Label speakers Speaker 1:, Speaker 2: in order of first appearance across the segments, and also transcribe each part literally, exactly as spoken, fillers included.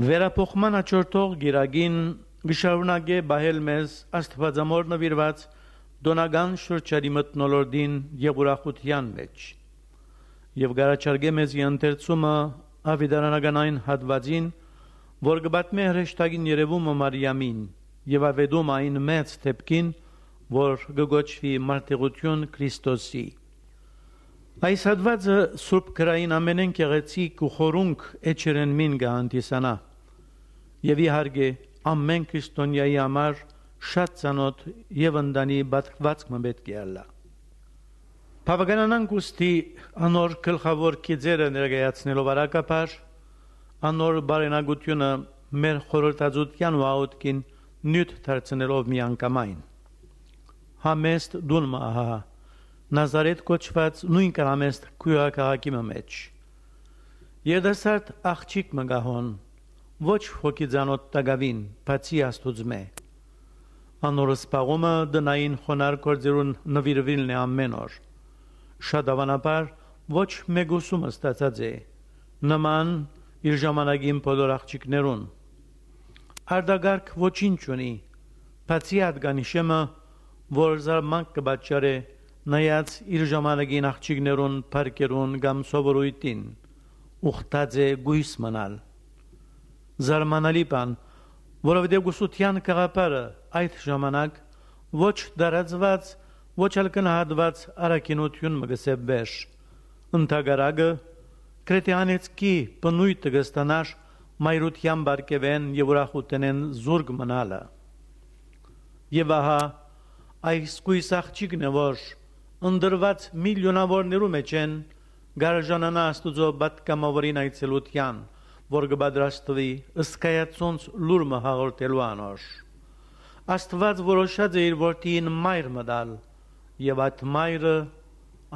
Speaker 1: Վերափոխման աճորտող գիրագին գշարունակե բահել մեզ աստվածամոր նվիրված դոնական շրջանի մթնոլորտին եւ ուրախության մեջ եւ գարաչարգե մեզ ընթերցումը ավիդարանական հատվածին, որ գբատմե հրեշտակին երևումը Մարիամին եւ ավեդում այն մեծ թեփքին, որ գոչվի մարտիրություն Քրիստոսի։ Այս հատվածը Սուրբ Գրային ամենեն գեղեցիկ ու խորունկ էջերեն մին գանտիսանա եւ իհարկե ամեն քրիստոնյայի համար շատ ցանոթ եւ ընդանի բացվածք մբետ գալա։ Բավականանան գուստի անոր գլխավոր կիզերը ներկայացնելով արակապար անոր բարենագությունը մեր խորհրդածության ու աուտքին նյութ դարձնելով միանգամայն։ Համեստ դունմա ահա Նազարեթ կոչված նույն կրամեստ քույրակաղակի մեջ։ Երդասարդ աղջիկ մգահոն ոչ հոգիձանոտ տագավին բացի աստուծմե։ Անոր սպաղումը դնային խոնար կորձերուն նվիրվիլն է ամեն օր։ Շատ ավանաբար ոչ մեգուսումը ստացած է, նման իր ժամանակին բոլոր աղջիկներուն։ Արդագարգ ոչինչ ունի, բացի ադգանիշեմը, որ զարմանք կբաճարե նայած իր ժամանակին աղջիկներուն պարկերուն կամ սովորույթին, ուխտած է գույս մնալ։ Զարմանալի բան, որովհետև գուսության կաղապարը այդ ժամանակ ոչ դարածված, ոչ էլ կնահատված արակինություն մգսև վեր, ընթագարագը կրետյանեցկի բնույթը գստանար մայրության բարկևեն և ուրախութենեն զուրգ մնալը։ Եվ ահա այս գույս աղջիկն է, որ ընդրված միլիոնավորներու մեջ են գարաժանանա աստուծո բատկամավորին այցելության, որ կբադրաստվի ըսկայացոնց լուրմը հաղորդելու անոր։ Աստված որոշած է իր որդին մայր մտալ, եւ այդ մայրը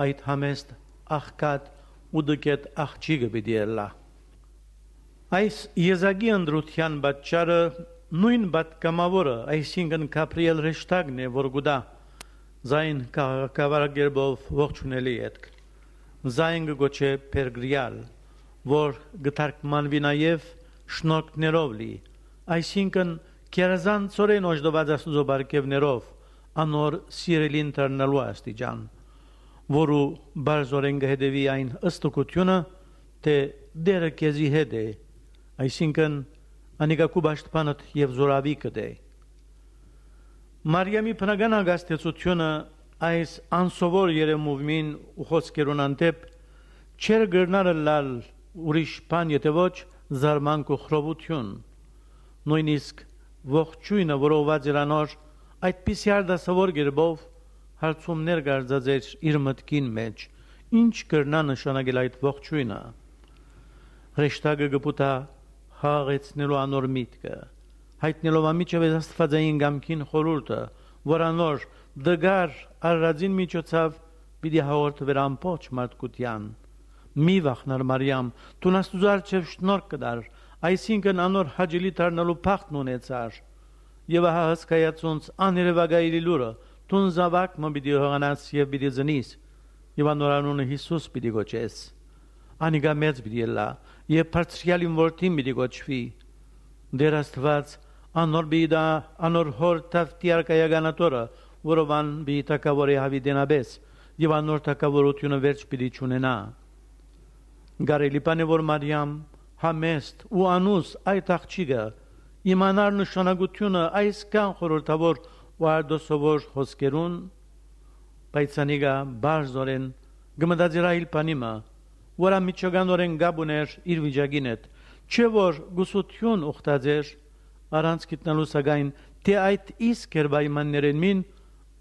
Speaker 1: այդ համեստ աղքատ ու դկետ աղջիկը պիտի ելլա։ Այս եզակի ընդրության պատճառը նույն բատկամավորը, այսինքն Գաբրիել հրեշտակն է, որ գուտա Զայն կավարագերբով ողջունելի ետք, զայն գոչե պերգրիալ, որ գտարկմանվի նաև շնորհքներով լի, այսինքն կերազանցորեն օժդված աստուծո բարգևներով, անոր սիրելին դառնալու աստիճան, որու բարձորեն կհետևի այն ըստուկությունը, թե դերը քեզի հետ է, այսինքն անիկա քու պաշտպանդ եւ զորավիկդ է։ Մարիամի բնական հագաստեցությունը այս անսովոր երեմուվմին ու խոսքերուն անտեպ չեր գրնարը լալ ուրիշ բան, եթե ոչ զարմանք ու խռովություն, նույնիսկ ողջույնը, որով էր անոր այդպիսի արդասավոր գերբով հարցումներ գարձած էր իր մտքին մեջ, ինչ կրնա նշանակել այդ ողջույնը։ Հրեշտակը գպուտա հաղեցնելու անոր միտքը, հայտնելով ամիջև աստվածային գամքին խորուրդը, որ անոր դգար առածին միջոցով պիտի հաղորդվեր ամբողջ մարդկության։ Մի վախնար Մարիամ, դու աստուծո առջև շնորհք կդար, այսինքն անոր հաճելի դառնալու փախտն ունեցար։ Եվ ահա հսկայացոնց աներևակայելի լուրը, դու զավակ մը պիտի հողանաս եւ պիտի ծնիս, եւ անոր անունը Հիսուս պիտի գոչես։ Անիկա մեծ պիտի ելլա, եւ բարձրյալին որդին պիտի գոչվի։ Դեր Աստված անոր բիդա անոր հոր տավտիարկայականատորը, որովան բի տակավորի հավիդենաբես, եւ անոր տակավորությունը վերջ պիտի չունենա։ Գարելի բան է, որ Մարիամ համեստ ու անուս այդ աղջիկը իմանար նշանակությունը այսքան խորհրդավոր ու արդոսավոր հոսքերուն, բայց անիկա բարձորեն գմդածիր այլ բանիմը, որ ամիջականորեն գաբուներ իր վիճակին հետ, չէ որ գուսություն ուխտած էր առանց գտնելու սակայն թե այդ իսկ էր պայմաններեն մին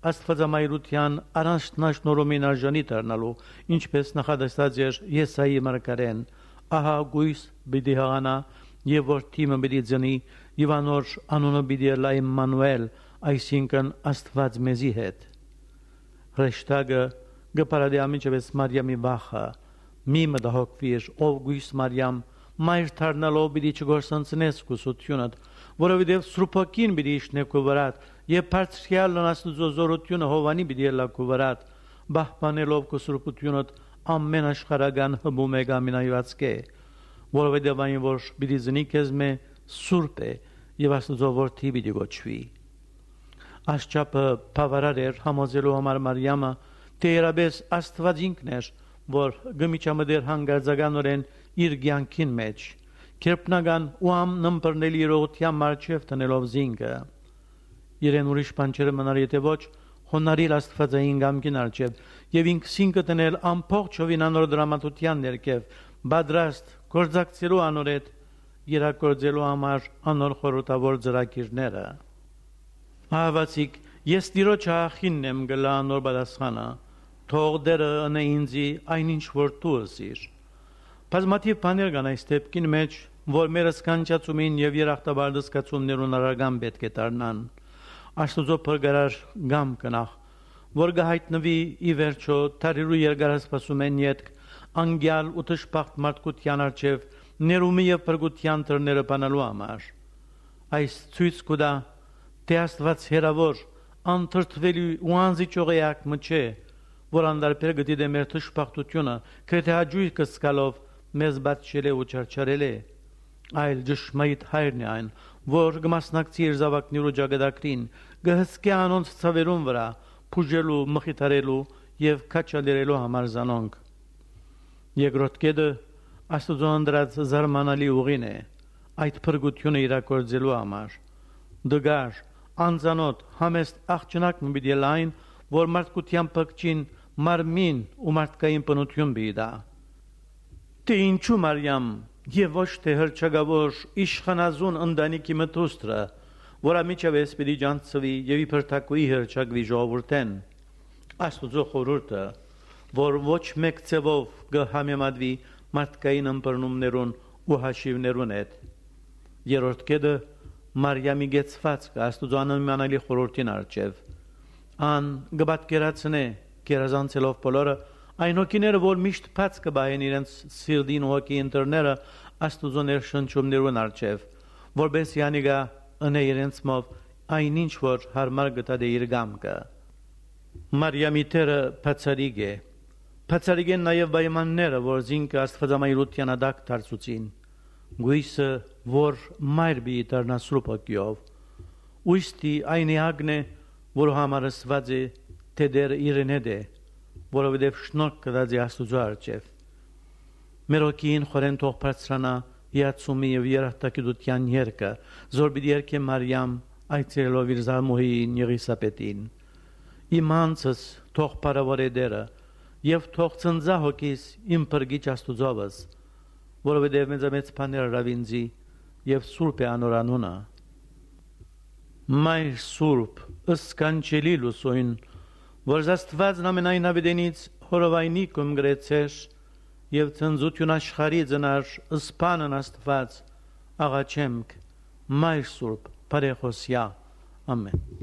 Speaker 1: աստվածամայրության առանձնաշնորհումին արժանի դառնալու, ինչպես նախադասած էր Եսայի մարգարեն, ահա գույս պիտի հղանա եւ որդիմը պիտի ծնի եւ անոր անունը պիտի լա Իմմանուել, այսինքն Աստված մեզի հետ։ Հրեշտակը գպարադի ամիջևս Մարիամի վախը, մի մտահոգվիր, ով գույս Մարիամ, մայր դառնալով պիտի չգործընծնես կուսությունդ, որովհետև սրուփակին պիտի իջնե քո վրատ, եւ բարձրյալն աստուծո զորությունը Հովանի պիտի ելա քո վրատ, բահբանելով քո սրուփությունդ ամեն աշխարհական հմում է գամինայված կե, որովհետև այն որ պիտի զնի քեզ մե սուրբ է եւ Աստծո որդի պիտի գոչվի։ Աշխապը բավարար էր համոզելու համար Մարիամը, թե երաբես Աստված ինքն էր, որ գմիջամդեր հանգարձականորեն իր կյանքին մեջ, քերպնական ու ամնմբռնելի իրողության մարչև տնելով զինքը։ Իրեն ուրիշ բան չէր մնար, եթե ոչ հոնարիր Աստվածային գամքին արջև եւ ինքսինքը տնել ամբողջ հովինանոր դրամատության ներքև, բادرաստ գործակցելու անորետ իրագործելու համար անոր խորհրդավոր ծրագիրները։ Ահավասիկ, ես Տիրոջ աղախինն եմ գլա անոր պատասխանը, թող դերը ընե ինձի այնինչ որ դու ըսիր։ Բազմաթիվ բաներ կան այս դեպքին մեջ, որ մեր սկանչացումին եւ երախտաբար դսկացումներուն արագան պետք է դառնան։ Աստուծո փրկարար գամ կնախ, որ գահիտնվի ի վերջո թարիրու երկարասպասումեն յետք անգյալ ու տշպախտ մարդկության արջև ներումի եւ փրկության դռները բանալու համար։ Այս ցույց կուտա, թե Աստված հերավոր, անթրթվելի ու անզիջողեակ մը չէ, որ անդարբեր գտի դե մեր տշպախտությունը, քրթե հաջույք կսկալով մեզ բացել է ու չարչարել է, այլ ճշմարիտ հայրն է այն, որ կմասնակցի իր զավակներու ճակատագրին, կհսկի անոնց ցավերուն վրա, փուժելու, մխիթարելու եւ քաչալերելու համար զանոնք։ Երկրորդ կետը Աստծո անդրած զարմանալի ուղին է, այդ փրկությունը իրագործելու համար։ Դգար, անծանոթ, համեստ աղջնակ մի պիտի լայն, որ մարդկության փրկչին մարմին ու մարդկային բնություն բիդա։ Թե ինչու Մարիամ եւ ոչ թե հրճագավոր իշխանազուն ընտանիքի մտուստրը, որ ամիջավես պիտի ջանցվի եւ իբր թակուի հրճագվի ժողովուրդեն, Աստուծո խորհուրդը, որ ոչ մեկ ցևով կհամեմատվի մարդկային ըմբռնումներուն ու հաշիվներուն հետ։ Երրորդ կետը Մարիամի գեցվածքը Աստուծո աննմանալի խորհրդին արջև։ Ան կպատկերացնե գերազանցելով բոլորը այն հոգիները, որ միշտ բաց կբահեն իրենց սիրտին ու հոգի ընտրները Աստուծո ներշնչումներուն արջև, որպես յանիգա ընե իրենց մով այնինչ որ հարմար գտա դե իր գամքը։ Մարիամի տերը բացարիք է, բացարիք են նաև պայմանները, որ զինքը Աստվածամայրության ադակ դարձուցին, գույսը, որ մայր բի դառնա սուրբ հոգիով, ուստի այն էակն է, որ համարսված է, թե դեր իրեն հետ է, որովհետև շնորհք կդածի Աստուծո արջև։ Մեր հոգին խորեն թող բարձրանա իացումի եւ երախտագիտության երկը, զոր պիտի երկե Մարիամ այցելելով իր զարմուհին Եղիսապետին։ Իմ անձս թող բարավարե դերը եւ թող ծնծա հոգիս իմ փրկիչ Աստուծովս, որովհետև մեծամեծ բաներ արավինձի եւ սուրբ է անոր անունը։ Մայր սուրբ, ըսկանչելի լուսոյն, որ Աստվածն ամենայն հավիտենից հորովայնի կում գրեցեր եւ ծնծություն աշխարհի ծնար ըսպանն Աստված աղաչեմք, մայր սուրբ, բարեխոսյա, ամեն։